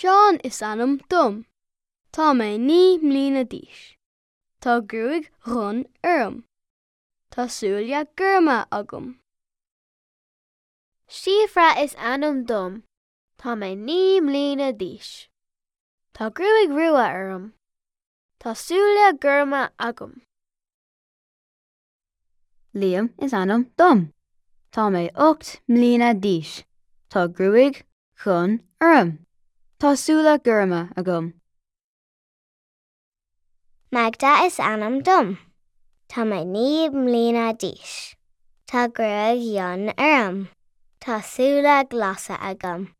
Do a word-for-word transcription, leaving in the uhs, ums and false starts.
Seán is ainm dom. Tá mé naoi mbliana d'aois. Tá gruaig dhonn orm. Tá súile gorma agam. Síofra is ainm dom. Tá mé naoi mbliana d'aois. Tá gruaig rua orm. Tá súile gorma agam. Liam is ainm dom. Tá mé ocht mbliana d'aois. Tá gruaig dhonn orm. Tá súile gorma agam. Magda is ainm dom. Tá mé naoi mbliana d'aois. Tá gruaig fhionn orm. Tá súile glasa agam.